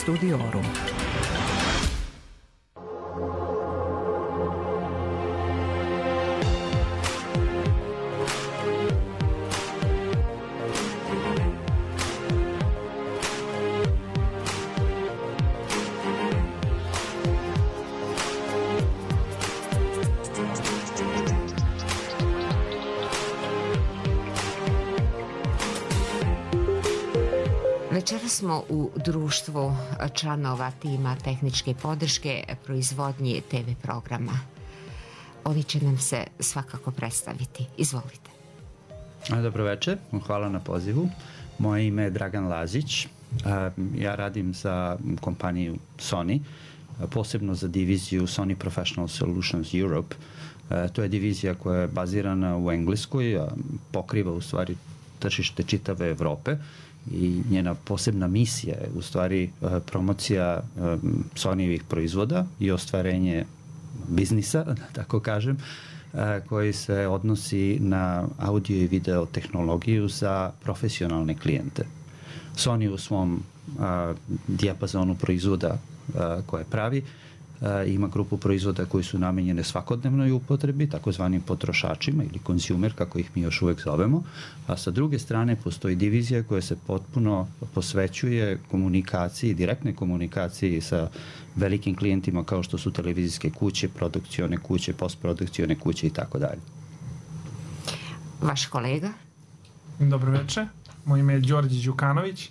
Studiorum. Večera smo u društvu članova tima tehničke podrške proizvodnji TV programa. Oni će nam se svakako predstaviti. Izvolite. Dobro večer, hvala na pozivu. Moje ime je Dragan Lazić. Ja radim za kompaniju Sony, posebno za diviziju Sony Professional Solutions Europe. To je divizija koja je bazirana u Engleskoj, pokriva u stvari tržište čitave Evrope i njena posebna misija je u stvari promocija Sonyjevih proizvoda i ostvarenje biznisa, da tako kažem, koji se odnosi na audio i video tehnologiju za profesionalne klijente. Sony u svom dijapazonu proizvoda koje pravi ima grupu proizvoda koji su namenjene svakodnevnoj upotrebi, takozvanim potrošačima ili konzumer, kako ih mi još uvek zovemo, a sa druge strane postoji divizija koja se potpuno posvećuje komunikaciji, direktnoj komunikaciji sa velikim klijentima kao što su televizijske kuće, produkcione kuće, postprodukcione kuće i tako dalje. Vaš kolega? Dobro večer, moje ime je Đorđe Đukanović,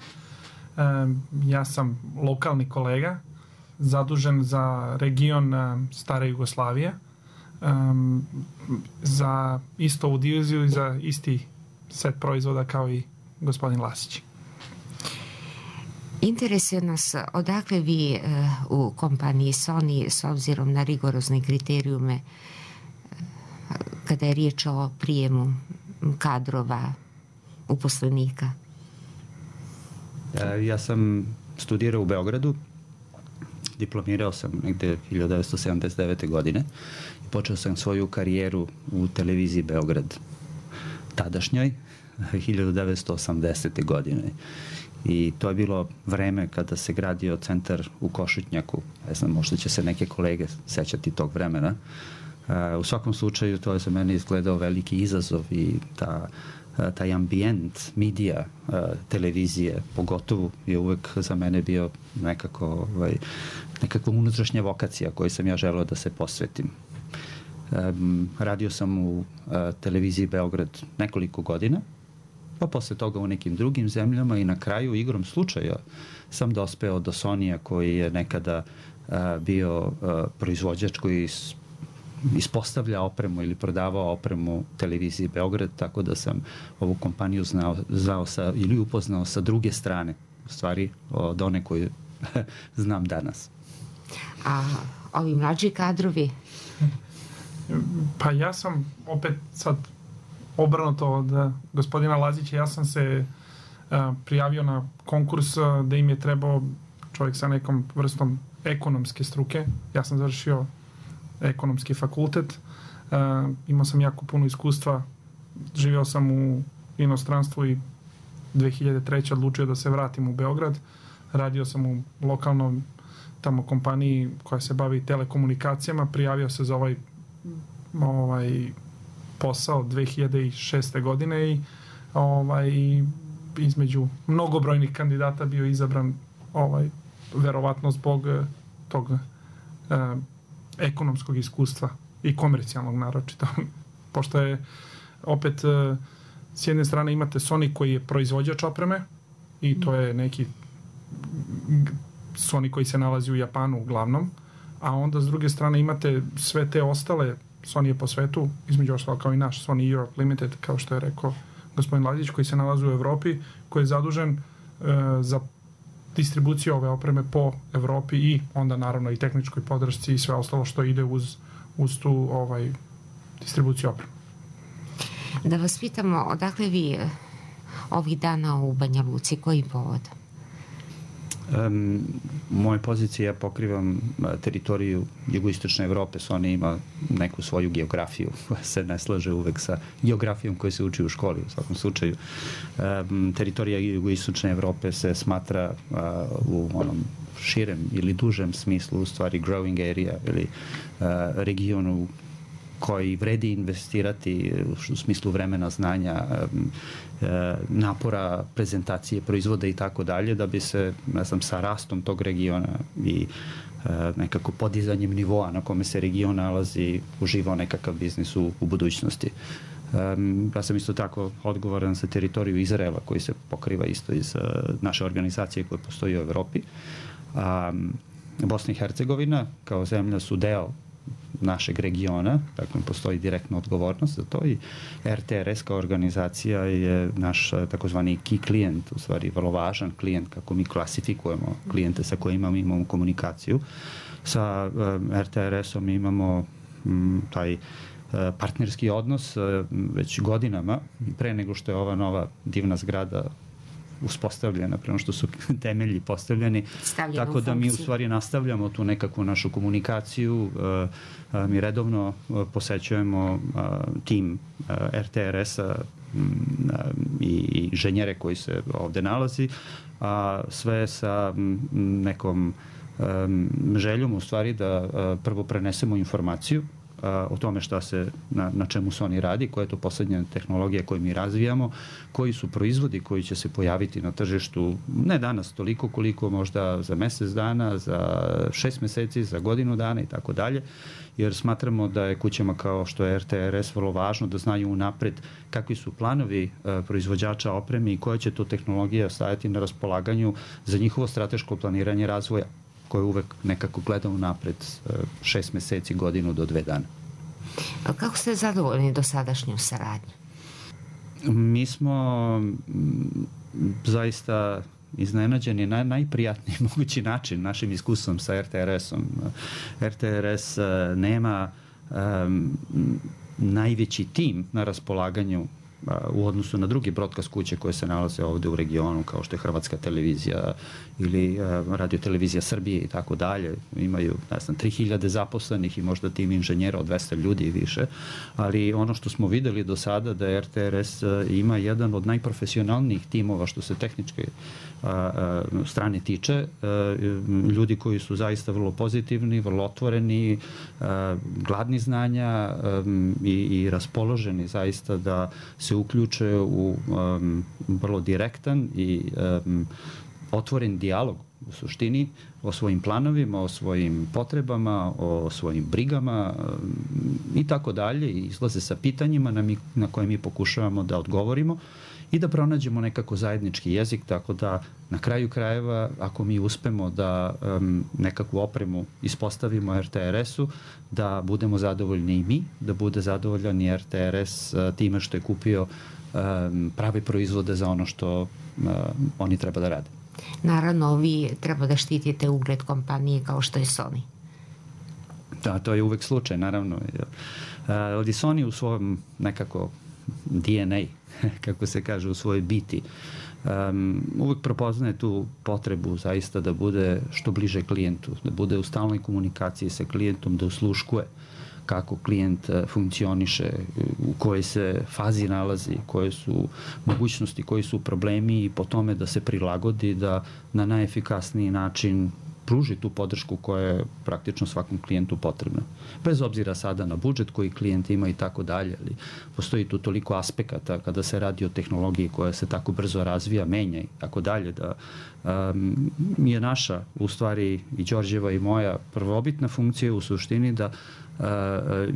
ja sam lokalni kolega, zadužen za region Stare Jugoslavije, za isto ovu diviziju i za isti set proizvoda kao i gospodin Lasić. Interesuje nas odakle vi u kompaniji Sony s obzirom na rigorozne kriterijume kada je riječ o prijemu kadrova, uposlenika? Ja sam studirao u Beogradu, diplomirao sam negde 1979. godine i počeo sam svoju karijeru u televiziji Beograd, tadašnjoj, 1980. godine. I to je bilo vreme kada se gradio centar u Košutnjaku. Ne znam, možda će se neke kolege sećati tog vremena. U svakom slučaju to je za mene izgledao veliki izazov i taj ambijent medija, televizije, pogotovo je uvek za mene bio nekakva unutrašnja vokacija koju sam ja želeo da se posvetim. Radio sam u televiziji Beograd nekoliko godina, pa posle toga u nekim drugim zemljama i na kraju igrom slučaja sam dospeo do Sonija koji je nekada bio proizvođač koji ispostavlja opremu ili prodavao opremu televiziji Beograd, tako da sam ovu kompaniju znao ili upoznao sa druge strane, u stvari od one koju znam danas. A ovi mlađi kadrovi? Pa ja sam opet sad obrnuto od gospodina Lazića, ja sam se prijavio na konkurs da im je trebao čovjek sa nekom vrstom ekonomske struke. Ja sam završio ekonomski fakultet, imao sam jako puno iskustva, živeo sam u inostranstvu i 2003. odlučio da se vratim u Beograd, radio sam u lokalnom tamo kompaniji koja se bavi telekomunikacijama, prijavio se za ovaj posao 2006. godine i između mnogobrojnih kandidata bio izabran verovatno zbog tog ekonomskog iskustva i komercijalnog naročito. Pošto je opet s jedne strane imate Sony koji je proizvođač opreme i to je neki Sony koji se nalazi u Japanu uglavnom, a onda s druge strane imate sve te ostale Sony je po svetu, između ostalo kao i naš Sony Europe Limited, kao što je rekao gospodin Lazić, koji se nalazi u Evropi, koji je zadužen za distribuciju ove opreme po Evropi i onda naravno i tehničkoj podršci i sve ostalo što ide uz tu distribuciju opreme. Da vas pitamo, odakle vi ovih dana u Banja Luci, koji povod? Moje pozicije, ja pokrivam teritoriju jugoistočne Evrope, Sony ima neku svoju geografiju koja se ne slaže uvek sa geografijom koja se uči u školi u svakom slučaju. Teritorija jugoistočne Evrope se smatra u onom širem ili dužem smislu, u stvari growing area ili regionu koji vredi investirati u smislu vremena, znanja, napora, prezentacije, proizvoda i tako dalje, da bi se, ne znam, sa rastom tog regiona i nekako podizanjem nivoa na kome se region nalazi uživao nekakav biznis u budućnosti. Ja sam isto tako odgovoran za teritoriju Izraela koji se pokriva isto iz naše organizacije koje postoji u Evropi. Bosna i Hercegovina kao zemlja su deo našeg regiona, dakle postoji direktna odgovornost za to i RTRS kao organizacija je naš takozvani key klijent, u stvari vrlo važan klijent kako mi klasifikujemo klijente sa kojima mi imamo komunikaciju. Sa RTRS-om imamo taj partnerski odnos već godinama, pre nego što je ova nova divna zgrada uspostavljena, prema što su temelji postavljeni. Tako da mi u stvari nastavljamo tu nekakvu našu komunikaciju. Mi redovno posećujemo tim RTRS-a i inženjere koji se ovde nalazi, a sve sa nekom željom u stvari da prvo prenesemo informaciju o tome šta se, na čemu Sony radi, koja je to poslednja tehnologija koju mi razvijamo, koji su proizvodi koji će se pojaviti na tržištu, ne danas toliko koliko možda za mesec dana, za 6 meseci, za godinu dana i tako dalje, jer smatramo da je kućama kao što je RTRS vrlo važno da znaju unapred kakvi su planovi proizvođača opreme i koja će to tehnologija stajati na raspolaganju za njihovo strateško planiranje razvoja, koje uvek nekako gleda unapred 6 meseci, godinu do 2 dana. Kako ste zadovoljni dosadašnjom saradnjom? Mi smo zaista iznenađeni na najprijatniji mogući način našim iskustvom sa RTRS-om. RTRS nema najveći tim na raspolaganju u odnosu na drugi broadcast kuće koje se nalaze ovde u regionu, kao što je Hrvatska televizija ili Radio televizija Srbije i tako dalje. Imaju, ne znam, 3000 zaposlenih i možda tim inženjera od 200 ljudi i više, ali ono što smo videli do sada da RTRS ima jedan od najprofesionalnijih timova što se tehničke strane tiče, ljudi koji su zaista vrlo pozitivni, vrlo otvoreni, gladni znanja i raspoloženi zaista da se uključe u vrlo direktan i otvoren dijalog u suštini o svojim planovima, o svojim potrebama, o svojim brigama i tako dalje, i izlaze sa pitanjima na koje mi pokušavamo da odgovorimo i da pronađemo nekako zajednički jezik, tako da na kraju krajeva, ako mi uspemo da nekakvu opremu ispostavimo RTRS-u, da budemo zadovoljni i mi, da bude zadovoljan i RTRS time što je kupio prave proizvode za ono što oni treba da rade. Naravno, vi treba da štitite ugled kompanije kao što je Sony. Da, to je uvek slučaj, naravno. Ali Sony u svom nekako DNA, kako se kaže, u svojoj biti, uvek prepoznaje tu potrebu zaista da bude što bliže klijentu, da bude u stalnoj komunikaciji sa klijentom, da usluškuje kako klijent funkcioniše, u kojoj se fazi nalazi, koje su mogućnosti, koji su problemi i po tome da se prilagodi, da na najefikasniji način pruži tu podršku koja je praktično svakom klijentu potrebna. Bez obzira sada na budžet koji klijent ima i tako dalje, ali postoji tu toliko aspekata kada se radi o tehnologiji koja se tako brzo razvija, menja i tako dalje, da je naša, u stvari i Đorđeva i moja prvobitna funkcija u suštini da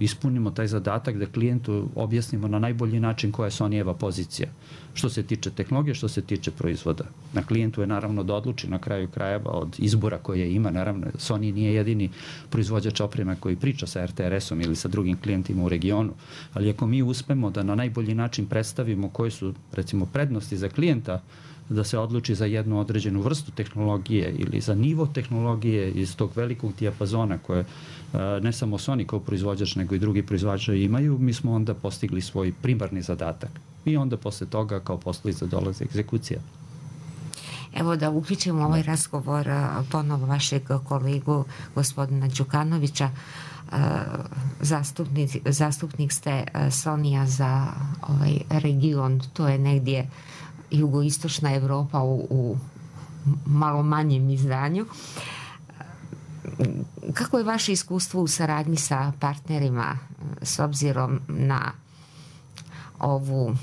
ispunimo taj zadatak da klijentu objasnimo na najbolji način koja je Sonyjeva pozicija. Što se tiče tehnologije, što se tiče proizvoda. Na klijentu je naravno da odluči na kraju krajeva od izbora koje ima. Naravno, Sony nije jedini proizvođač opreme koji priča sa RTRS-om ili sa drugim klijentima u regionu, ali ako mi uspemo da na najbolji način predstavimo koje su, recimo, prednosti za klijenta, da se odluči za jednu određenu vrstu tehnologije ili za nivo tehnologije iz tog velikog dijapazona koje ne samo Sony kao proizvođač, nego i drugi proizvođači imaju, mi smo onda postigli svoj primarni zadatak. I onda posle toga kao posledica dolaze egzekucija. Evo da uključimo ovaj razgovor ponovo vašeg kolegu gospodina Đukanovića. Zastupnik ste Sonyja za ovaj region, to je negdje jugoistočna Evropa u malo manjem izdanju. Kako je vaše iskustvo u saradnji sa partnerima s obzirom na ovu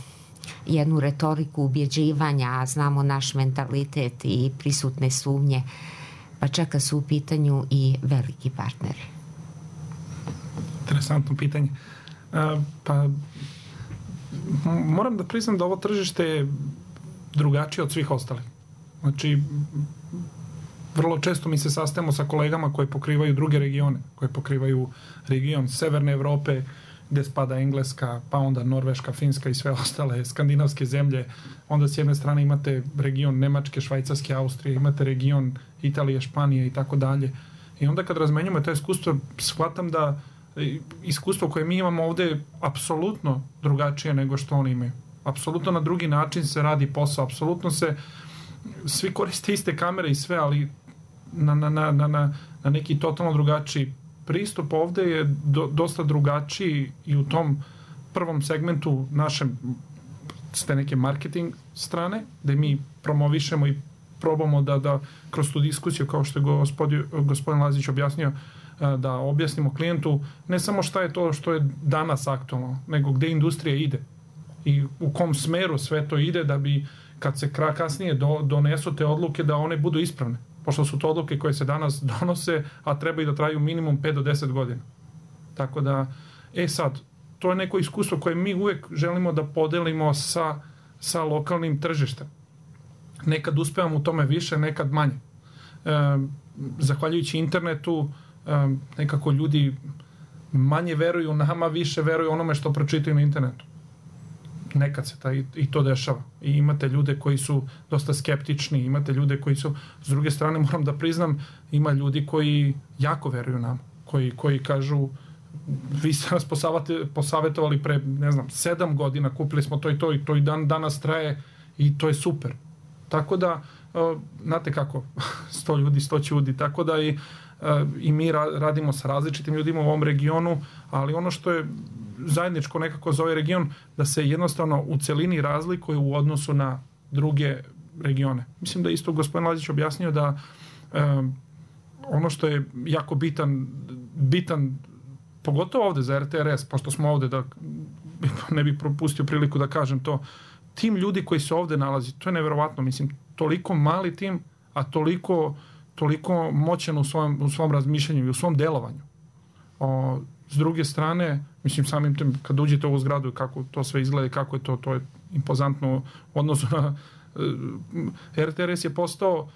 jednu retoriku ubjeđivanja, a znamo naš mentalitet i prisutne sumnje, pa čeka su u pitanju i veliki partneri? Interesantno pitanje. Pa moram da priznam da ovo tržište je drugačije od svih ostalih. Znači, vrlo često mi se sastajemo sa kolegama koji pokrivaju druge regione, koji pokrivaju region Severne Evrope, gde spada Engleska, pa onda Norveška, Finska i sve ostale skandinavske zemlje. Onda s jedne strane imate region Nemačke, Švajcarske, Austrije, imate region Italije, Španije i tako dalje. I onda kad razmenjujemo to iskustvo, shvatam da iskustvo koje mi imamo ovde je apsolutno drugačije nego što oni imaju. Apsolutno na drugi način se radi posao, apsolutno se svi koriste iste kamere i sve, ali na neki totalno drugačiji pristup ovde je dosta drugačiji i u tom prvom segmentu našem s te neke marketing strane, gde mi promovišemo i probamo da kroz tu diskusiju, kao što je gospodin Lazić objasnio, da objasnimo klijentu ne samo šta je to što je danas aktualno, nego gde industrija ide i u kom smeru sve to ide, da bi kad se kasnije donesu te odluke da one budu ispravne, pošto su to odluke koje se danas donose, a treba i da traju minimum 5 do 10 godina. Tako da, sad, to je neko iskustvo koje mi uvek želimo da podelimo sa lokalnim tržištem. Nekad uspevamo u tome više, nekad manje. Zahvaljujući internetu, nekako ljudi manje veruju nama, više veruju onome što pročitaju na internetu. Nekad se i to dešava. I imate ljude koji su dosta skeptični, imate ljude koji su, s druge strane moram da priznam, ima ljudi koji jako veruju nama, koji kažu, vi ste nas posavetovali pre, 7 godina, kupili smo to i to i danas traje i to je super. Tako da, znate kako, 100 ljudi, 100 ćudi, tako da i mi radimo sa različitim ljudima u ovom regionu, ali ono što je zajedničko nekako za ovaj region, da se jednostavno u celini razlikuje u odnosu na druge regione. Mislim da isto gospodin Lazić objasnio da ono što je jako bitan pogotovo ovde za RTRS, pošto smo ovde, da ne bih propustio priliku da kažem to, tim ljudi koji se ovde nalazi, to je neverovatno, mislim, toliko mali tim, a toliko moćan u svom razmišljanju i u svom delovanju. S druge strane, mislim, samim tim, kad uđete u ovu zgradu, kako to sve izgleda i kako je to je impozantno u odnosu na RTRS je postao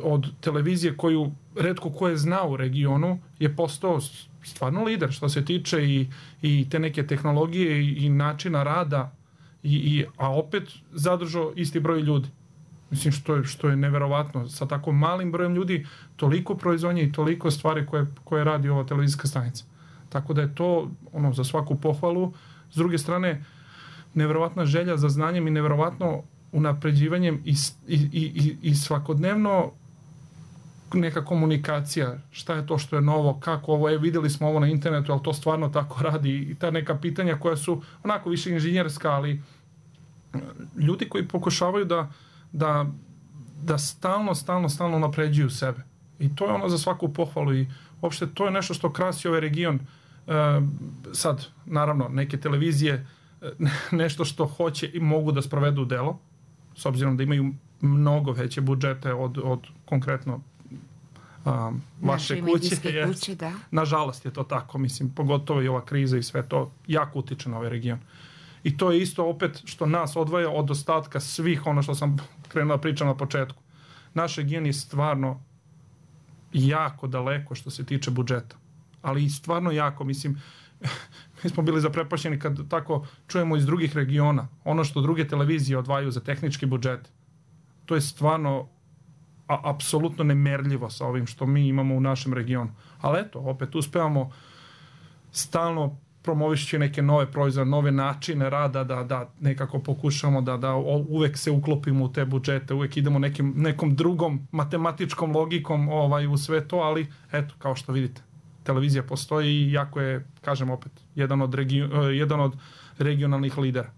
od televizije koju retko ko je znao u regionu, je postao stvarno lider što se tiče i te neke tehnologije i načina rada, a opet zadržao isti broj ljudi. Mislim, što je neverovatno. Sa tako malim brojem ljudi, toliko proizvodnje i toliko stvari koje radi ova televizijska stanica. Tako da je to za svaku pohvalu. S druge strane, neverovatna želja za znanjem i neverovatno unapređivanjem i svakodnevno neka komunikacija. Šta je to što je novo, kako ovo je, videli smo ovo na internetu, ali to stvarno tako radi. I ta neka pitanja koja su onako više inženjerska, ali ljudi koji pokušavaju da stalno napređuju sebe. I to je ono za svaku pohvalu i uopšte to je nešto što krasi ovaj region. Sad, naravno, neke televizije nešto što hoće i mogu da sprovedu u delo, s obzirom da imaju mnogo veće budžete od konkretno vaše kuće. Da. Nažalost je to tako, mislim, pogotovo i ova kriza i sve to jako utiče na ovaj region. I to je isto opet što nas odvaja od ostatka svih ono što sam krenuo da pričam na početku. Naš region je stvarno jako daleko što se tiče budžeta. Ali i stvarno jako, mislim, mi smo bili zaprepašćeni kad tako čujemo iz drugih regiona ono što druge televizije odvajaju za tehnički budžet. To je stvarno apsolutno nemerljivo sa ovim što mi imamo u našem regionu. Ali eto, opet uspevamo stalno promovišći neke nove proizvode, nove načine rada, da nekako pokušamo da uvek se uklopimo u te budžete, uvek idemo nekom drugom matematičkom logikom u sve to, ali eto, kao što vidite, televizija postoji i jako je, kažem opet, jedan od regionalnih lidera.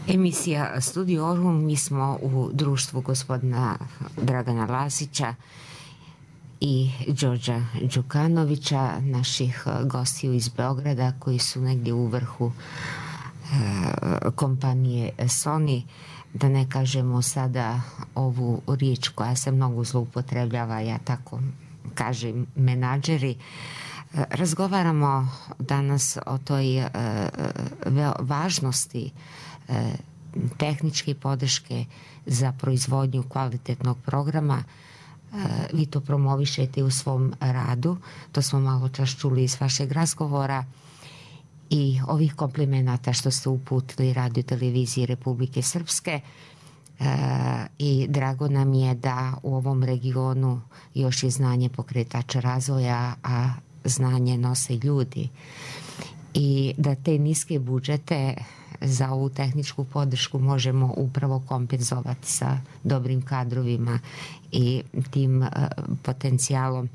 Emisija Studiorum, mi smo u društvu gospodina Dragana Lazića i Đorđa Đukanovića, naših gostiju iz Beograda koji su negdje u vrhu kompanije Sony. Da ne kažemo sada ovu riječ koja se mnogo zloupotrebljava, ja tako kažem, menadžeri. Razgovaramo danas o toj važnosti tehničke podrške za proizvodnju kvalitetnog programa. Vi to promovišete u svom radu, to smo malo čas čuli iz vašeg razgovora, i ovih komplimenata što ste uputili Radio televiziji Republike Srpske, i drago nam je da u ovom regionu još je znanje pokretača razvoja, a znanje nose ljudi, i da te niske budžete za ovu tehničku podršku možemo upravo kompenzovati sa dobrim kadrovima i tim potencijalom,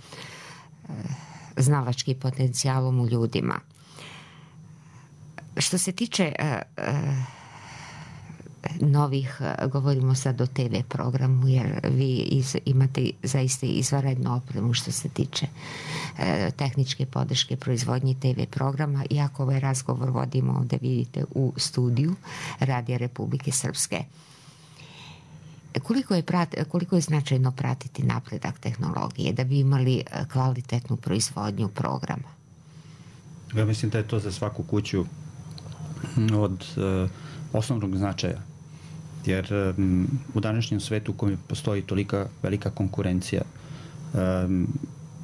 znalačkim potencijalom u ljudima. Što se tiče novih, govorimo sad o TV programu, jer vi imate zaista izvanrednu opremu što se tiče tehničke podrške proizvodnje TV programa, iako ovaj razgovor vodimo ovdje, vidite, u studiju Radija Republike Srpske. Koliko je značajno pratiti napredak tehnologije da bi imali kvalitetnu proizvodnju programa? Ja mislim da je to za svaku kuću od osnovnog značaja. Jer u današnjem svetu u kojem postoji tolika velika konkurencija,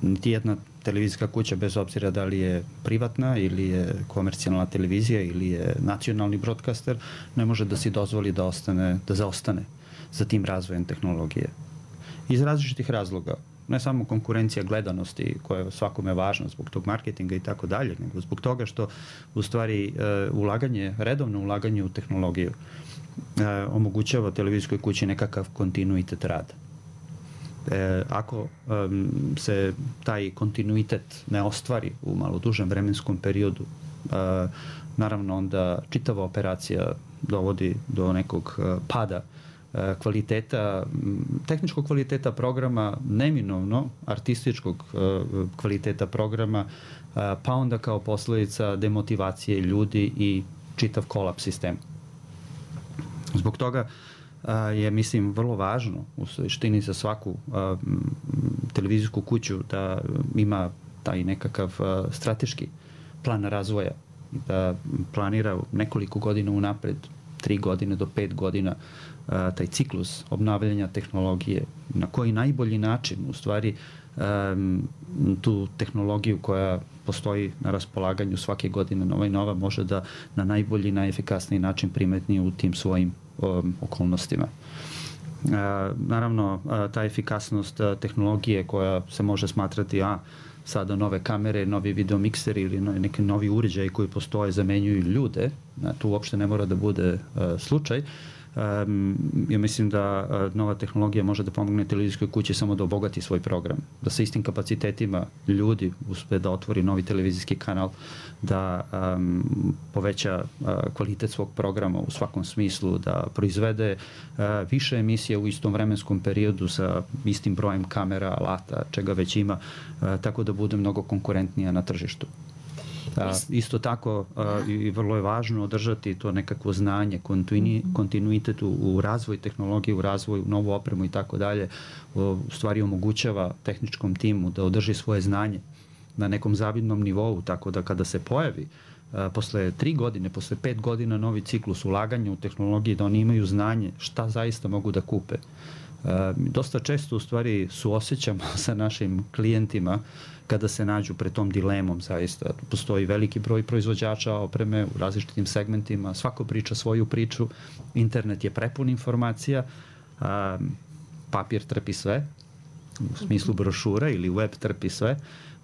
niti jedna televizijska kuća, bez obzira da li je privatna ili je komercijalna televizija ili je nacionalni broadcaster, ne može da si dozvoli da zaostane za tim razvojem tehnologije. Iz različitih razloga. Ne samo konkurencija gledanosti koja je svakome važna zbog tog marketinga i tako dalje, nego zbog toga što u stvari redovno ulaganje u tehnologiju omogućava televizijskoj kući nekakav kontinuitet rada. Ako se taj kontinuitet ne ostvari u malo dužem vremenskom periodu, naravno onda čitava operacija dovodi do nekog pada kvaliteta, tehničkog kvaliteta programa, neminovno artističkog kvaliteta programa, pa onda kao posljedica demotivacije ljudi i čitav kolaps sistema. Zbog toga je, mislim, vrlo važno u suštini za svaku televizijsku kuću da ima taj nekakav strateški plan razvoja, da planira nekoliko godina unapred, 3 godine do 5 godina, taj ciklus obnavljanja tehnologije, na koji najbolji način u stvari tu tehnologiju koja postoji na raspolaganju svake godine nova i nova može da na najbolji, najefikasniji način primetni u tim svojim okolnostima. Naravno, ta efikasnost tehnologije koja se može smatrati sada nove kamere, novi videomikseri ili neki novi uređaji koji postoje zamenjuju ljude, tu uopšte ne mora da bude slučaj. Ja mislim da nova tehnologija može da pomogne televizijskoj kući samo da obogati svoj program, da sa istim kapacitetima ljudi uspe da otvori novi televizijski kanal, da poveća kvalitet svog programa u svakom smislu, da proizvede više emisija u istom vremenskom periodu sa istim brojem kamera, alata, čega već ima, tako da bude mnogo konkurentnija na tržištu. Isto tako i vrlo je važno održati to nekakvo znanje, kontinuitet u razvoju tehnologije, u razvoju novu opremu i tako dalje, u stvari omogućava tehničkom timu da održi svoje znanje na nekom zavidnom nivou, tako da kada se pojavi posle 3 godine, posle 5 godina novi ciklus ulaganja u tehnologiji, da oni imaju znanje šta zaista mogu da kupe. Dosta često u stvari suosjećamo sa našim klijentima kada se nađu pred tom dilemom, zaista. Postoji veliki broj proizvođača opreme u različitim segmentima, svako priča svoju priču, internet je prepun informacija, papir trpi sve, u smislu brošura, ili web trpi sve,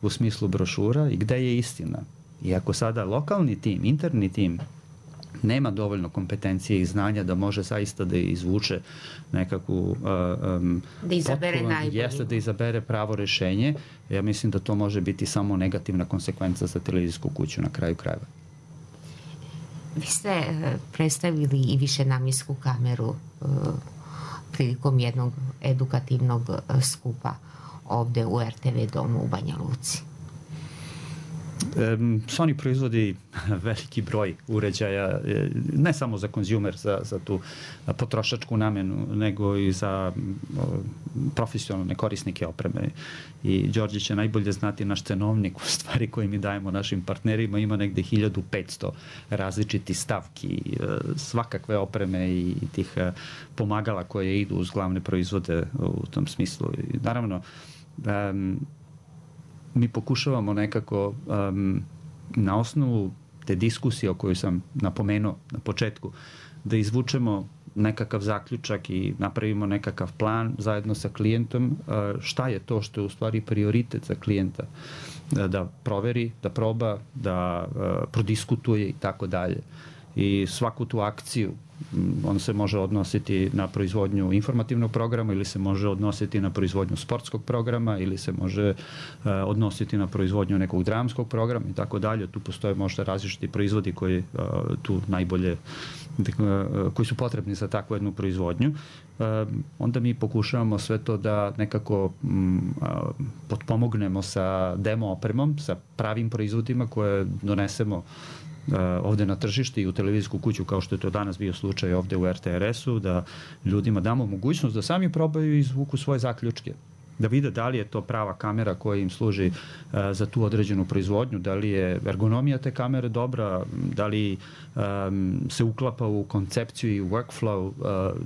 u smislu brošura, i gde je istina? I ako sada lokalni tim, interni tim nema dovoljno kompetencije i znanja da može zaista da izvuče nekakvu da izabere najbolje, da izabere pravo rešenje, ja mislim da to može biti samo negativna konsekvenca za televizijsku kuću na kraju krajeva. Vi ste predstavili i višenamjensku kameru prilikom jednog edukativnog skupa ovde u RTV domu u Banja Luci. Sony proizvodi veliki broj uređaja, ne samo za konzumer, za tu potrošačku namenu, nego i za profesionalne korisnike opreme. I Đorđe će najbolje znati, naš cenovnik u stvari koji mi dajemo našim partnerima ima negde 1500 različitih stavki, svakakve opreme i tih pomagala koje idu uz glavne proizvode u tom smislu. I naravno, mi pokušavamo nekako na osnovu te diskusije o kojoj sam napomenuo na početku da izvučemo nekakav zaključak i napravimo nekakav plan zajedno sa klijentom šta je to što je u stvari prioritet za klijenta da proveri, da proba, da prodiskutuje i tako dalje. I svaku tu akciju on se može odnositi na proizvodnju informativnog programa ili se može odnositi na proizvodnju sportskog programa ili se može odnositi na proizvodnju nekog dramskog programa i tako dalje. Tu postoje možda različiti proizvodi koji tu najbolje, koji su potrebni za takvu jednu proizvodnju. Onda mi pokušavamo sve to da nekako potpomognemo sa demo opremom, sa pravim proizvodima koje donesemo ovde na tržište i u televizijsku kuću, kao što je to danas bio slučaj ovde u RTRS-u, da ljudima damo mogućnost da sami probaju i izvuku svoje zaključke. Da vide da li je to prava kamera koja im služi za tu određenu proizvodnju, da li je ergonomija te kamere dobra, da li se uklapa u koncepciju i u workflow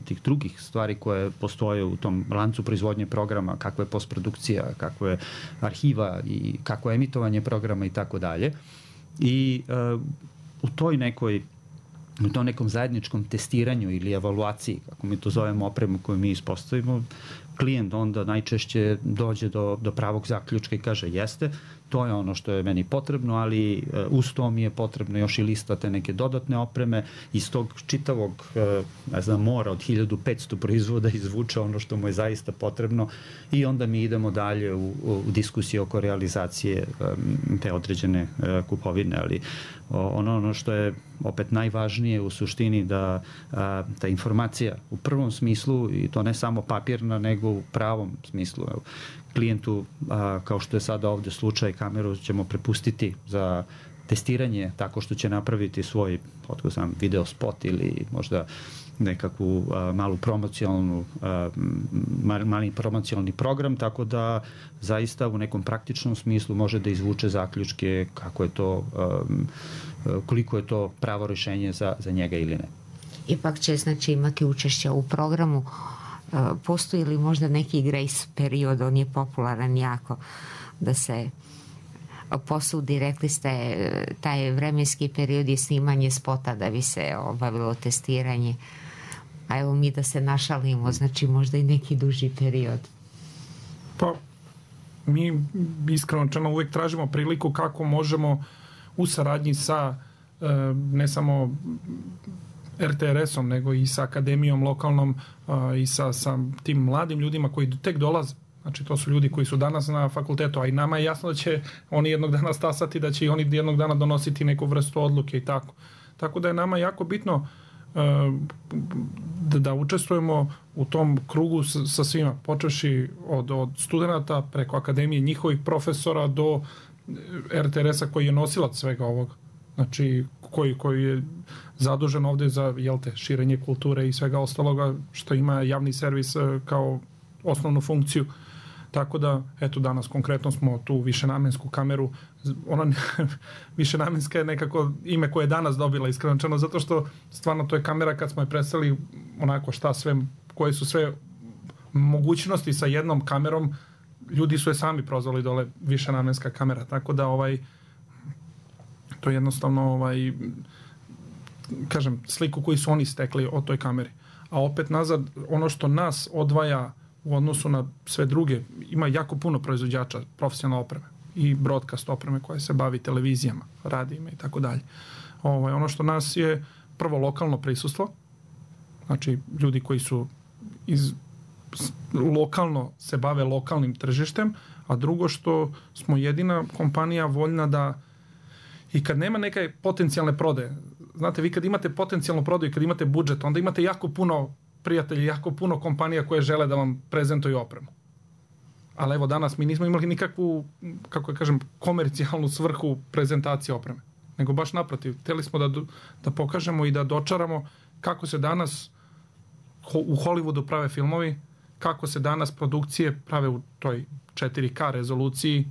tih drugih stvari koje postoje u tom lancu proizvodnje programa, kakva je postprodukcija, kakva je arhiva i kakvo je emitovanje programa i tako dalje. I u tom nekom zajedničkom testiranju ili evaluaciji, kako mi to zovemo opremu koju mi ispostavimo, klijent onda najčešće dođe do pravog zaključka i kaže jeste, to je ono što je meni potrebno, ali uz to mi je potrebno još i lista te neke dodatne opreme, iz tog čitavog mora od 1500 proizvoda izvuče ono što mu je zaista potrebno i onda mi idemo dalje u diskusiju oko realizacije te određene kupovine, ali ono što je opet najvažnije u suštini da ta informacija u prvom smislu, i to ne samo papirna, nego u pravom smislu. Klijentu, kao što je sada ovde slučaj, kameru ćemo prepustiti za testiranje tako što će napraviti svoj video spot ili možda nekakvu mali promocionalni program, tako da zaista u nekom praktičnom smislu može da izvuče zaključke kako je to, koliko je to pravo rešenje za njega ili ne. Ipak će znači imati učešća u programu. Postoji li možda neki grace period, on je popularan jako, da se posudi, rekli ste, taj vremenski period je snimanje spota da bi se obavilo testiranje, a evo mi da se našalimo, znači možda i neki duži period. Pa mi iskreno uvek tražimo priliku kako možemo u saradnji sa ne samo RTRS-om, nego i sa akademijom lokalnom i sa tim mladim ljudima koji tek dolaze. Znači, to su ljudi koji su danas na fakultetu, a i nama je jasno da će oni jednog dana stasati, da će i oni jednog dana donositi neku vrstu odluke i tako. Tako da je nama jako bitno da učestvujemo u tom krugu sa svima, počevši od studenta preko akademije, njihovih profesora do RTRS-a koji je nosilac svega ovoga. Znači, koji je zadužen ovde za širenje kulture i svega ostaloga što ima javni servis kao osnovnu funkciju. Tako da, eto, danas konkretno smo tu višenamensku kameru, ona višenamenska je nekako ime koje je danas dobila, iskreno, zato što stvarno to je kamera kad smo je predstavili onako šta sve, koje su sve mogućnosti sa jednom kamerom, ljudi su je sami prozvali dole višenamenska kamera, tako da to je jednostavno kažem, sliku koju su oni stekli o toj kameri. A opet nazad, ono što nas odvaja u odnosu na sve druge, ima jako puno proizvođača profesionalne opreme i broadcast opreme koja se bavi televizijama, radijima i tako dalje. Ono što nas je prvo lokalno prisustvo, znači ljudi koji su lokalno se bave lokalnim tržištem, a drugo što smo jedina kompanija voljna da i kad nema neke potencijalne prodaje, znate, vi kad imate potencijalnu prodaju, kad imate budžet, onda imate jako puno prijatelja, jako puno kompanija koje žele da vam prezentuju opremu. Ali evo danas mi nismo imali nikakvu, kako ja kažem, komercijalnu svrhu prezentacije opreme. Nego baš naprotiv, hteli smo da pokažemo i da dočaramo kako se danas u Hollywoodu prave filmovi, kako se danas produkcije prave u toj 4K rezoluciji,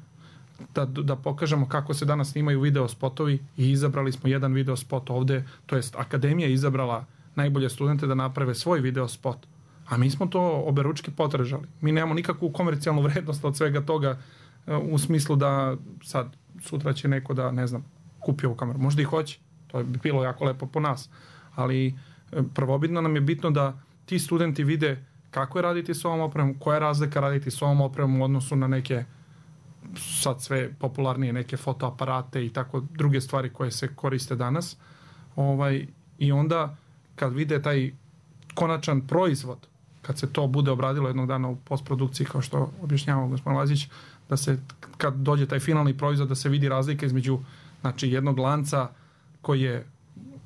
da pokažemo kako se danas snimaju video spotovi i izabrali smo jedan video spot ovde, to jest Akademija izabrala najbolje studente da naprave svoj video spot. A mi smo to oberučke potražali. Mi nemamo nikakvu komercijalnu vrednost od svega toga u smislu da sad sutra će neko da, ne znam, kupi ovu kameru. Možda i hoće. To bi bilo jako lepo po nas. Ali prvobitno nam je bitno da ti studenti vide kako je raditi s ovom opremom, koja je razlika raditi s ovom opremom u odnosu na neke sad sve popularnije neke fotoaparate i tako druge stvari koje se koriste danas. I onda kad vide taj konačan proizvod, kad se to bude obradilo jednog dana u postprodukciji, kao što objašnjavao gospodin Lazić, da se kad dođe taj finalni proizvod da se vidi razlika između, znači, jednog lanca koji je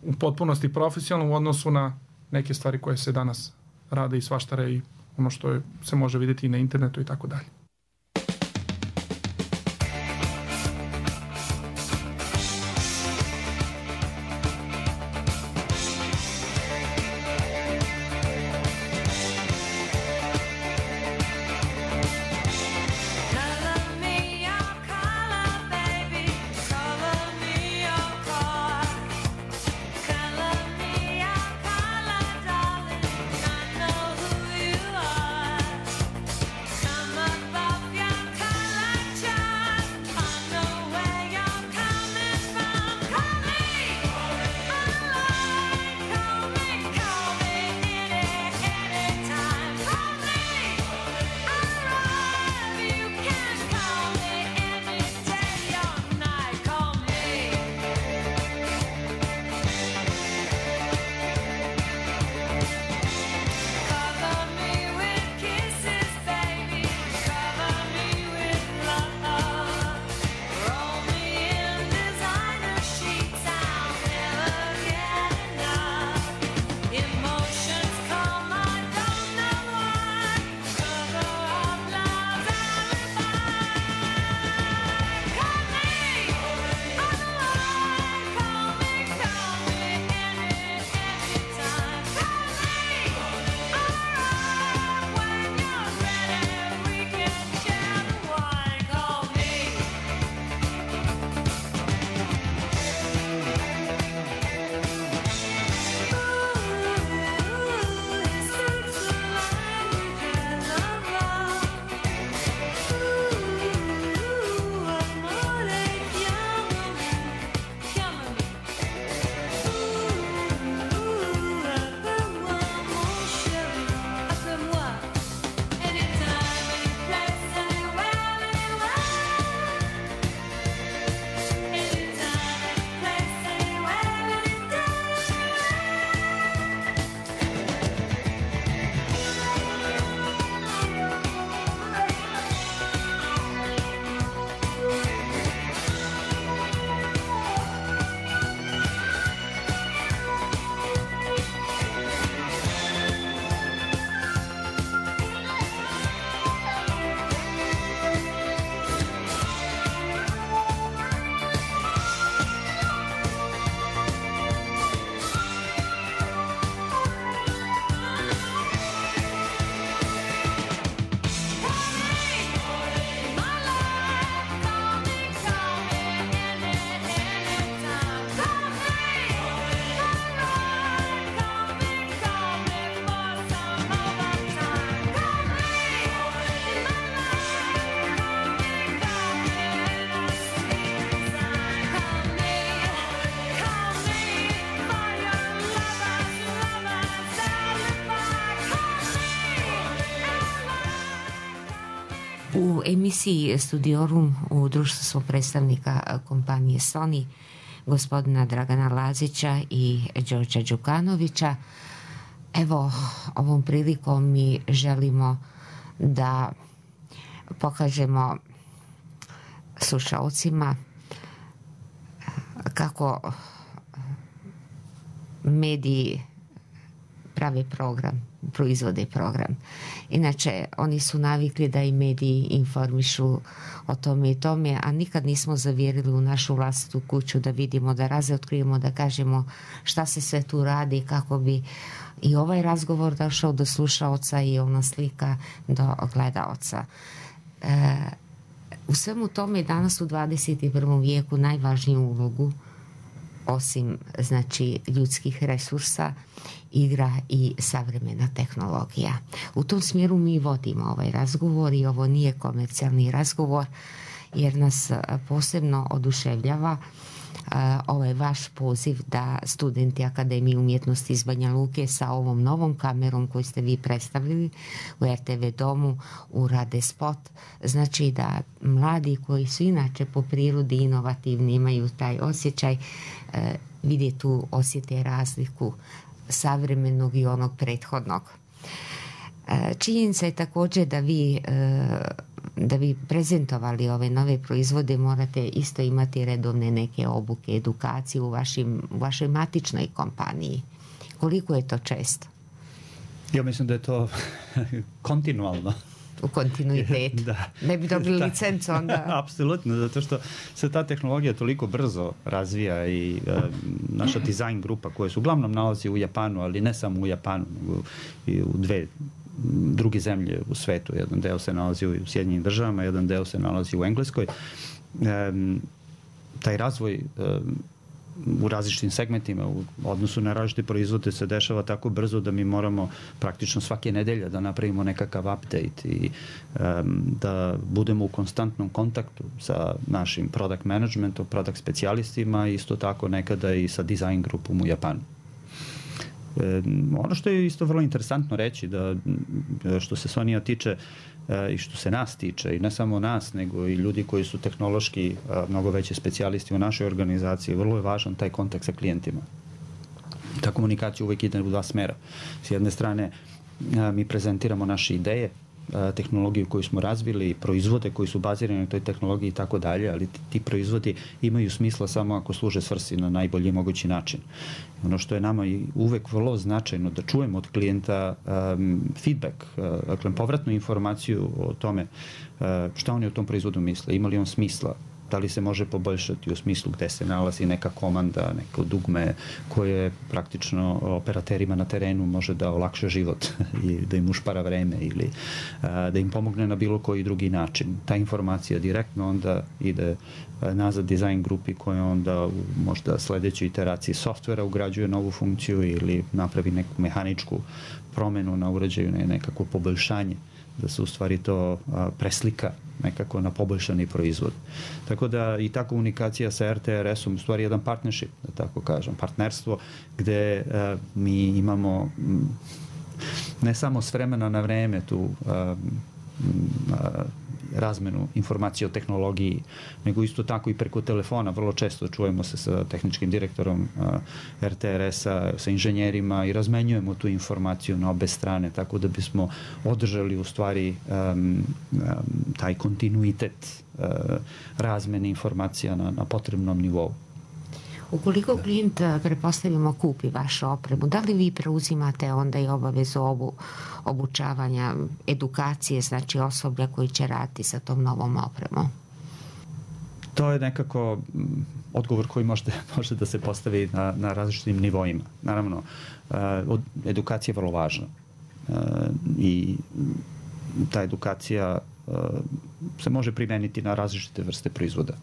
u potpunosti profesionalan u odnosu na neke stvari koje se danas rade i svaštare i ono što se može vidjeti i na internetu i tako dalje. U emisiji Studiorum u društvu smo predstavnika kompanije Sony, gospodina Dragana Lazića i Đorđa Đukanovića. Evo, ovom prilikom mi želimo da pokažemo slušalcima kako mediji prave program, proizvode program. Inače, oni su navikli da i mediji informišu o tome i tome, a nikad nismo zavjerili u našu vlastitu kuću da vidimo, da razotkrijemo, da kažemo šta se sve tu radi, kako bi i ovaj razgovor došao do slušaoca i ona slika do gledaoca. U svemu tome danas u 21. vijeku najvažniju ulogu, osim znači ljudskih resursa, igra i savremena tehnologija. U tom smjeru mi vodimo ovaj razgovor i ovo nije komercijalni razgovor, jer nas posebno oduševljava ovaj vaš poziv da studenti Akademije umjetnosti iz Banja Luke sa ovom novom kamerom koju ste vi predstavili u RTV domu urade spot. Znači da mladi koji su inače po prirodi inovativni, imaju taj osjećaj, vide tu, osjete razliku savremenog i onog prethodnog. Činjenica je također da bi prezentovali ove nove proizvode morate isto imati redovne neke obuke, edukacije u vašoj matičnoj kompaniji. Koliko je to često? Ja mislim da je to kontinualno. U kontinuitetu. Da. Ne bi dobili licencu onda. Apsolutno, zato što se ta tehnologija toliko brzo razvija i naša dizajn grupa koja se uglavnom nalazi u Japanu, ali ne samo u Japanu, nego i u druge zemlje u svetu. Jedan deo se nalazi u Sjedinjenim državama, jedan deo se nalazi u Engleskoj. Taj razvoj u različitim segmentima u odnosu na različite proizvode se dešava tako brzo da mi moramo praktično svake nedelje da napravimo nekakav update i da budemo u konstantnom kontaktu sa našim product managementom, product specijalistima i isto tako nekada i sa design grupom u Japanu. Ono što je isto vrlo interesantno reći, da što se Sonija tiče i što se nas tiče, i ne samo nas, nego i ljudi koji su tehnološki mnogo veći specijalisti u našoj organizaciji, vrlo je važan taj kontakt sa klijentima. Ta komunikacija uvijek ide u dva smera. S jedne strane, mi prezentiramo naše ideje, tehnologiju koju smo razvili, proizvode koji su bazirani na toj tehnologiji i tako dalje, ali ti proizvodi imaju smisla samo ako služe svrsi na najbolji mogući način. Ono što je nama i uvek vrlo značajno da čujemo od klijenta feedback, dakle povratnu informaciju o tome šta oni o tom proizvodu misle, ima li on smisla, da li se može poboljšati u smislu gde se nalazi neka komanda, neko dugme koje praktično operaterima na terenu može da olakša život i da im ušpara vreme ili da im pomogne na bilo koji drugi način. Ta informacija direktno onda ide nazad dizajn grupi koja onda u možda sledećoj iteraciji softvera ugrađuje novu funkciju ili napravi neku mehaničku promenu na uređaju, nekako poboljšanje, da se u stvari to preslika nekako na poboljšani proizvod. Tako da i ta komunikacija sa RTRS-om u stvari jedan partnership, da tako kažem, partnerstvo gde mi imamo ne samo s vremena na vreme tu razmenu informacije o tehnologiji, nego isto tako i preko telefona. Vrlo često čujemo se sa tehničkim direktorom RTRS-a, sa inženjerima i razmenjujemo tu informaciju na obe strane, tako da bismo održali u stvari taj kontinuitet razmene informacija na potrebnom nivou. Ukoliko klijent, pretpostavimo, kupi vašu opremu, da li vi preuzimate onda i obavezu obučavanja, edukacije, znači osoblja koji će raditi sa tom novom opremom? To je nekako odgovor koji može da se postavi na različitim nivoima. Naravno, edukacija je vrlo važna i ta edukacija se može primeniti na različite vrste proizvoda.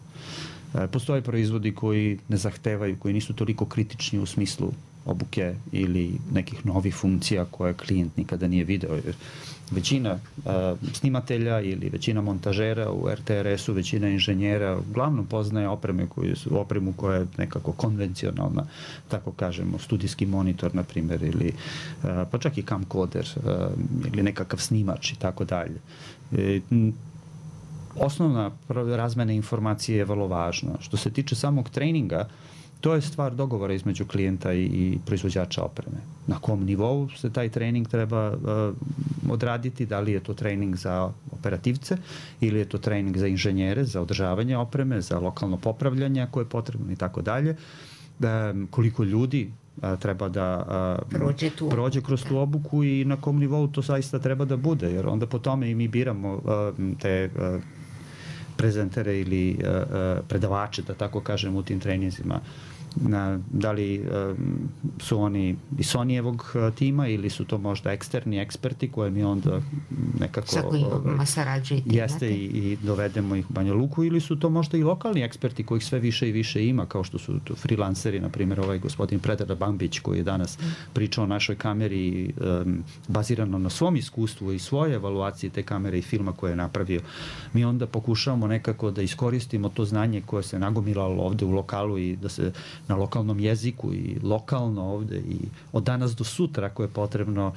Postoje proizvodi koji ne zahtevaju, koji nisu toliko kritični u smislu obuke ili nekih novih funkcija koje klijent nikada nije video. Većina snimatelja ili većina montažera u RTRS-u, većina inženjera uglavnom poznaje opremu koja je nekako konvencionalna, tako kažemo, studijski monitor, na primjer, ili pa čak i camcorder ili nekakav snimač i tako dalje. Osnovna razmena informacije je vrlo važna. Što se tiče samog treninga, to je stvar dogovora između klijenta i proizvođača opreme. Na kom nivou se taj trening treba odraditi, da li je to trening za operativce ili je to trening za inženjere, za održavanje opreme, za lokalno popravljanje ako je potrebno i tako dalje. Koliko ljudi treba da prođe kroz tu obuku i na kom nivou to zaista treba da bude, jer onda po tome i mi biramo te prezentere ili predavače, da tako kažem, u tim treninzima. Da li su oni iz Sonyjevog tima ili su to možda eksterni eksperti koje mi onda nekako sa kojima sarađujete jeste i dovedemo ih u Banja Luku, ili su to možda i lokalni eksperti kojih sve više i više ima, kao što su freelanceri, na primjer ovaj gospodin Predrag Bambić koji je danas pričao o našoj kameri bazirano na svom iskustvu i svoje evaluacije te kamere i filma koje je napravio. Mi onda pokušavamo nekako da iskoristimo to znanje koje se nagomilalo ovde u lokalu i da se na lokalnom jeziku i lokalno ovde i od danas do sutra, ako je potrebno,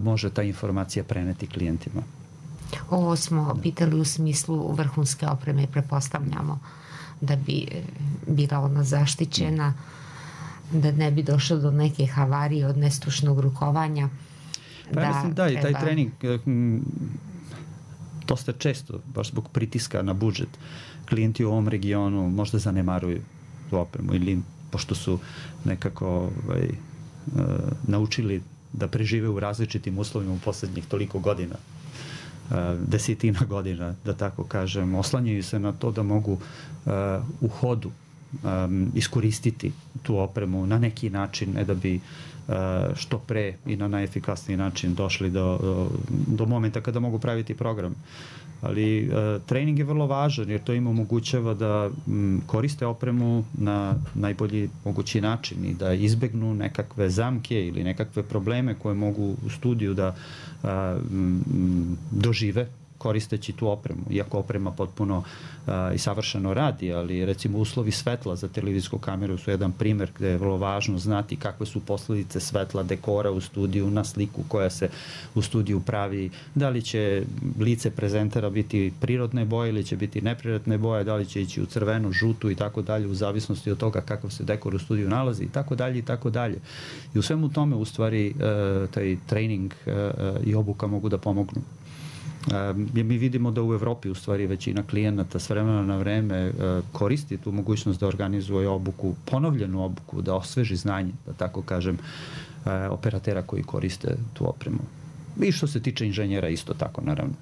može ta informacija preneti klijentima. Ovo smo pitali u smislu vrhunske opreme, prepostavljamo da bi bila ona zaštićena, da ne bi došlo do neke havarije od nestručnog rukovanja. Pa mislim da i taj trening dosta često, baš zbog pritiska na budžet, klijenti u ovom regionu možda zanemaruju tu opremu ili pošto su nekako naučili da prežive u različitim uslovima u poslednjih toliko godina, desetina godina, da tako kažem, oslanjaju se na to da mogu u hodu iskoristiti tu opremu na neki način, ne da bi što pre i na najefikasniji način došli do momenta kada mogu praviti program. Ali trening je vrlo važan jer to im omogućava da koriste opremu na najbolji mogući način i da izbegnu nekakve zamke ili nekakve probleme koje mogu u studiju da dožive koristeći tu opremu. Iako oprema potpuno i savršeno radi, ali recimo uslovi svetla za televizijsku kameru su jedan primer gde je vrlo važno znati kakve su posledice svetla, dekora u studiju, na sliku koja se u studiju pravi, da li će lice prezentera biti prirodne boje ili će biti neprirodne boje, da li će ići u crvenu, žutu i tako dalje, u zavisnosti od toga kakav se dekor u studiju nalazi i tako dalje i tako dalje. I u svemu tome u stvari taj trening i obuka mogu da pomognu. Mi vidimo da u Evropi u stvari većina klijenata s vremena na vreme koristi tu mogućnost da organizuje obuku, ponovljenu obuku, da osveži znanje, da tako kažem, operatera koji koriste tu opremu. I što se tiče inženjera isto tako, naravno.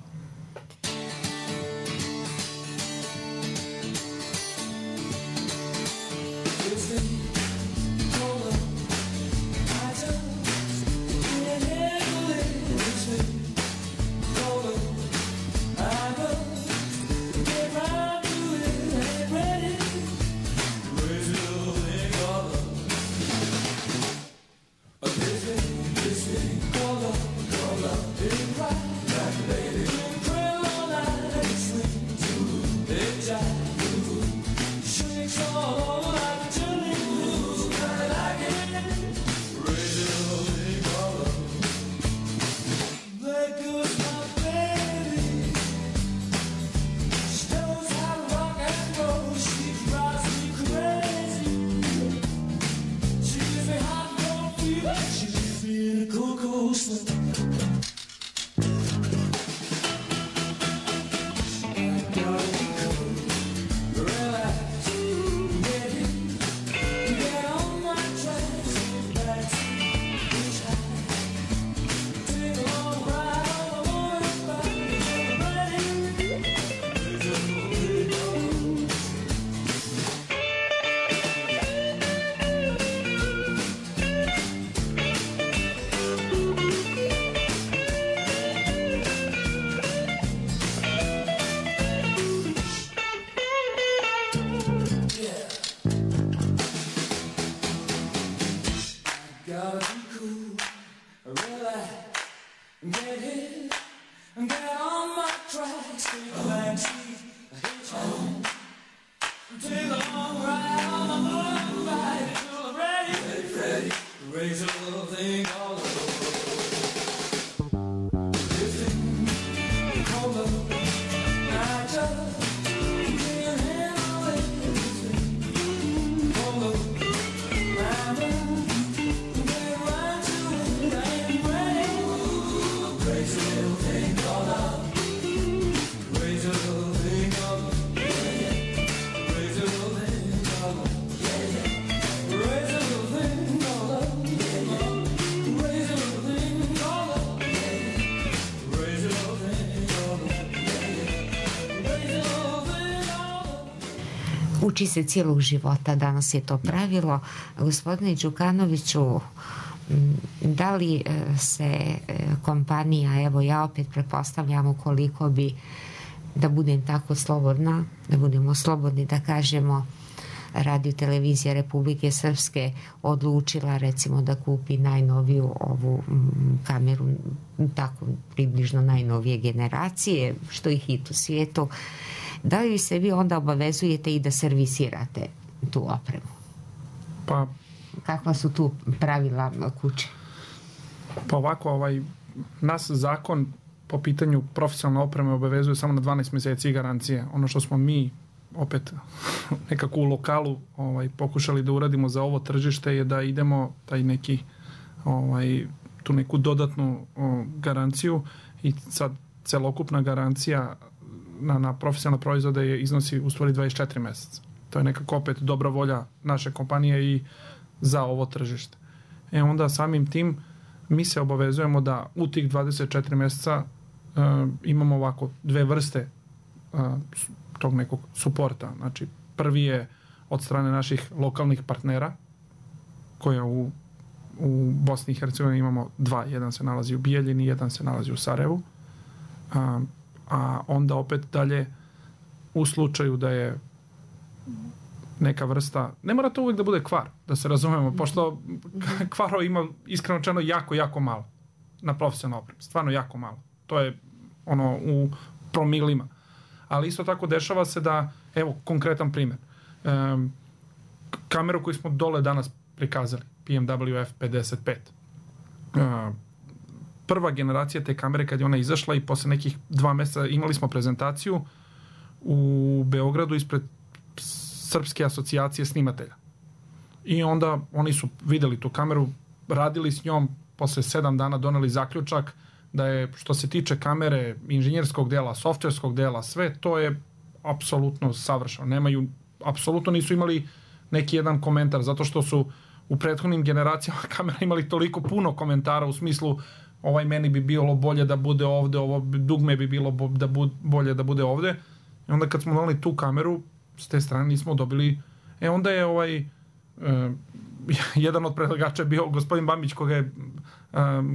Uči se cijelog života, danas je to pravilo. Gospodine Đukanoviću, da li se kompanija, evo ja opet pretpostavljam ukoliko bi, da budem tako slobodna, da budemo slobodni da kažemo, Radio televizija Republike Srpske odlučila recimo da kupi najnoviju ovu kameru, tako približno najnovije generacije, što je hit u svijetu, da li se vi onda obavezujete i da servisirate tu opremu? Pa kakva su tu pravila kuće? Pa ovako, nas zakon po pitanju profesionalne opreme obavezuje samo na 12 mjeseci garancije. Ono što smo mi opet nekako u lokalu pokušali da uradimo za ovo tržište je da idemo taj neki tu neku dodatnu garanciju i sad celokupna garancija na profesionalne proizvode iznosi u stvari 24 mjeseca. To je nekako opet dobra volja naše kompanije i za ovo tržište. Onda samim tim mi se obavezujemo da u tih 24 mjeseca imamo ovako dve vrste tog nekog suporta. Znači, prvi je od strane naših lokalnih partnera, koje u Bosni i Hercegovini imamo dva. Jedan se nalazi u Bijeljini, jedan se nalazi u Sarajevu. A onda opet dalje u slučaju da je neka vrsta, ne mora to uvijek da bude kvar, da se razumemo, pošto kvarova ima iskreno rečeno jako, jako malo na profesionalnoj opremi. Stvarno jako malo. To je u promilima. Ali isto tako dešava se da, evo, konkretan primjer. Kameru koju smo dole danas prikazali, PMW F55. Prva generacija te kamere kad je ona izašla i posle nekih 2 mjeseca imali smo prezentaciju u Beogradu ispred Srpske asocijacije snimatelja. I onda oni su vidjeli tu kameru, radili s njom, posle 7 dana doneli zaključak da je, što se tiče kamere, inženjerskog dela, softverskog dela, sve to je apsolutno savršeno. Apsolutno nisu imali neki jedan komentar, zato što su u prethodnim generacijama kamera imali toliko puno komentara u smislu meni bi bilo bolje da bude ovde, ovo dugme bi bilo bolje da bude ovde. I onda kad smo doneli tu kameru, s te strane nismo dobili. Onda je jedan od predlagača bio gospodin Bambić, koga je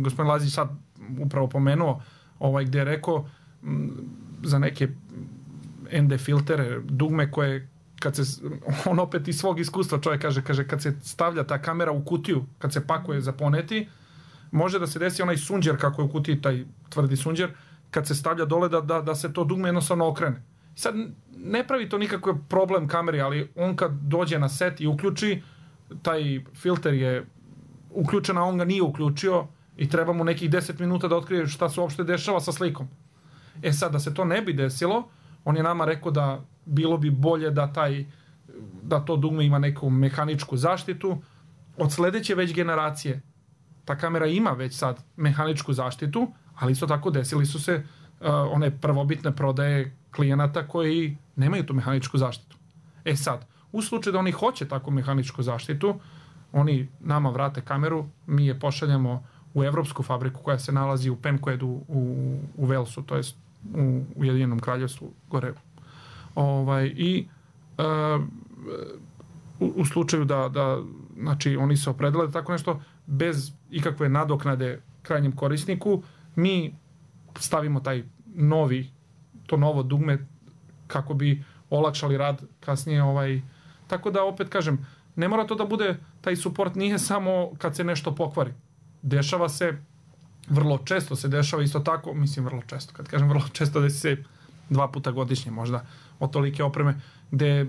gospodin Lazić sad upravo pomenuo, gdje je rekao za neke ND filtere, dugme koje on opet iz svog iskustva čovjek kaže kad se stavlja ta kamera u kutiju, kad se pakuje za poneti, može da se desi onaj sunđer kako je u kutiji, taj tvrdi sunđer, kad se stavlja dole da se to dugme jednostavno okrene. Sad ne pravi to nikakav problem kameri, ali on kad dođe na set i uključi, taj filter je uključen, a on ga nije uključio i treba mu nekih 10 minuta da otkrije šta se uopšte dešava sa slikom. Sad, da se to ne bi desilo, on je nama rekao da bilo bi bolje da to dugme ima neku mehaničku zaštitu. Od sledeće već generacije ta kamera ima već sad mehaničku zaštitu, ali isto tako desili su se one prvobitne prodaje klijenata koji nemaju tu mehaničku zaštitu. Sad, u slučaju da oni hoće takvu mehaničku zaštitu, oni nama vrate kameru, mi je pošaljemo u evropsku fabriku koja se nalazi u Pencoedu u Walesu, to jest u Ujedinjenom Kraljevstvu gore. U slučaju da znači oni se opredele da tako nešto bez ikakve nadoknade krajnjem korisniku, mi stavimo to novo dugme kako bi olakšali rad kasnije. Tako da opet kažem, ne mora to da bude, taj suport nije samo kad se nešto pokvari. Dešava se, vrlo često se dešava isto tako, vrlo često, kad kažem vrlo često, desi se 2 puta godišnje možda od tolike opreme, gde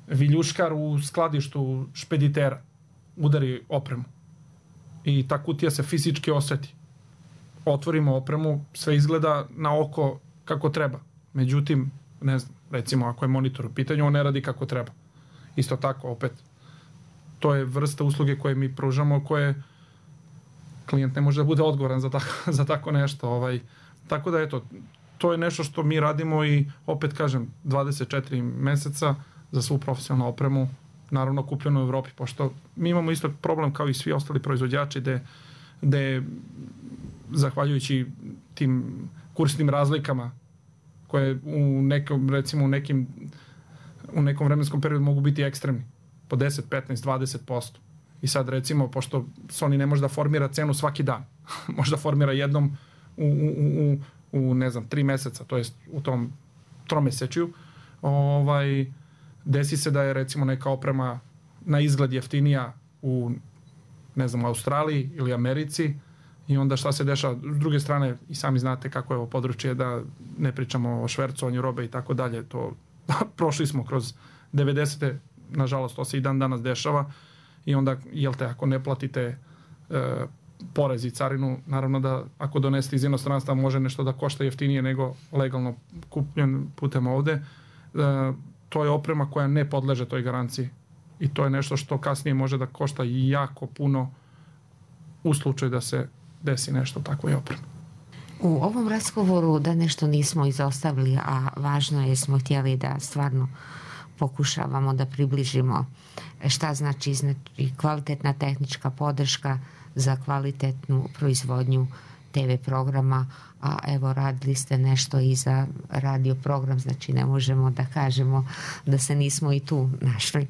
viljuškar u skladištu špeditera udari opremu i ta kutija se fizički oseti. Otvorimo opremu, sve izgleda na oko kako treba. Međutim, ne znam, recimo ako je monitor u pitanju, on ne radi kako treba. Isto tako, opet, to je vrsta usluge koje mi pružamo, koje klijent ne može da bude odgovoran za tako nešto. Tako da, eto, to je nešto što mi radimo i opet kažem, 24 meseca za svu profesionalnu opremu, naravno kupljeno u Evropi, pošto mi imamo isto problem kao i svi ostali proizvođači gde zahvaljujući tim kursnim razlikama koje recimo u nekim u nekom vremenskom periodu mogu biti ekstremni, po 10, 15, 20%. I sad recimo, pošto Sony ne može da formira cenu svaki dan, može da formira jednom u ne znam, 3 meseca, to jest u tom tromesečju, desi se da je recimo neka oprema na izgled jeftinija u, ne znam, Australiji ili Americi, i onda šta se dešava? S druge strane, i sami znate kako je ovo područje, da ne pričamo o švercovanju robe i tako dalje, to prošli smo kroz 90. Nažalost, to se i dan danas dešava, i onda, jel te, ako ne platite porez i carinu, naravno da ako donesete iz inostranstva može nešto da košta jeftinije nego legalno kupljen putem ovde. To je oprema koja ne podleže toj garanciji i to je nešto što kasnije može da košta jako puno u slučaju da se desi nešto takvoj opremi. U ovom razgovoru da nešto nismo izostavili, a važno je, smo htjeli da stvarno pokušavamo da približimo šta znači kvalitetna tehnička podrška za kvalitetnu proizvodnju TV programa, a evo radili ste nešto i za radio program, znači ne možemo da kažemo da se nismo i tu našli.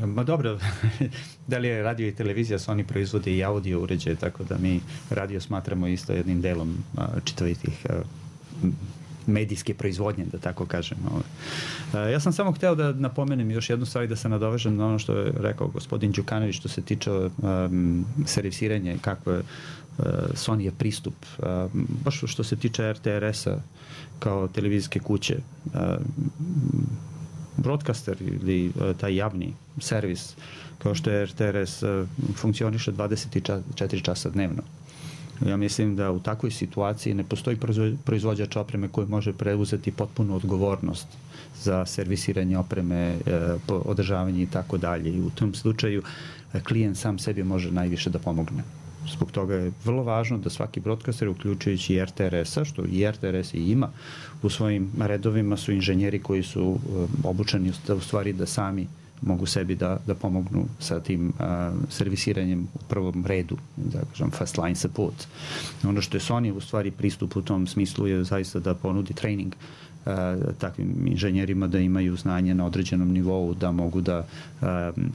Ma dobro, da li je radio i televizija, Sony proizvode i audio uređaje, tako da mi radio smatramo isto jednim delom čitavih tih medijske proizvodnje, da tako kažem. Ja sam samo hteo da napomenem još jednu stvar i da se nadovežem na ono što je rekao gospodin Đukanović što se tiče servisiranja i kako je Sony je pristup. Baš što se tiče RTS-a kao televizijske kuće, broadcaster ili taj javni servis kao što je RTS funkcioniše 24 časa dnevno. Ja mislim da u takvoj situaciji ne postoji proizvođač opreme koji može preuzeti potpunu odgovornost za servisiranje opreme, održavanje i tako dalje. I u tom slučaju klijent sam sebi može najviše da pomogne. Zbog toga je vrlo važno da svaki broadcaster, uključujući i RTRS-a, što i RTRS i ima u svojim redovima, su inženjeri koji su obučeni u stvari da sami mogu sebi da pomognu sa tim servisiranjem u prvom redu, da kažem first line support. Ono što je Sony u stvari pristup u tom smislu je zaista da ponudi trening takvim inženjerima da imaju znanje na određenom nivou, da mogu da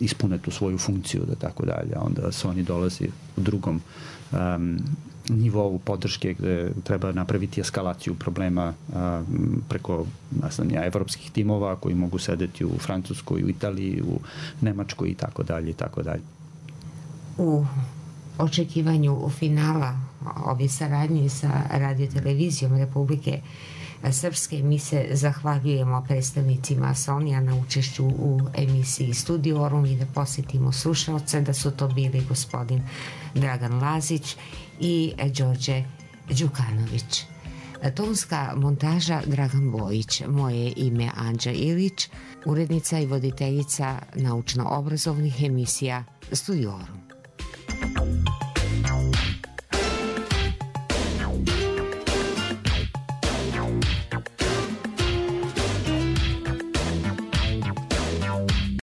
ispune tu svoju funkciju, da tako dalje. Onda Sony dolazi u drugom nivou podrške gde treba napraviti eskalaciju problema preko, evropskih timova koji mogu sedeti u Francuskoj, u Italiji, u Nemačkoj i tako dalje i tako dalje. U očekivanju finala ove saradnje sa radiotelevizijom Republike Srpske mi se zahvaljujemo predstavnicima Sonija na učešću u emisiji Studiorum i da posjetimo slušalce da su to bili gospodin Dragan Lazić i Đorđe Đukanović. Tonska montaža Dragan Bojić, moje ime Anđa Ilić, urednica i voditeljica naučno-obrazovnih emisija Studiorum.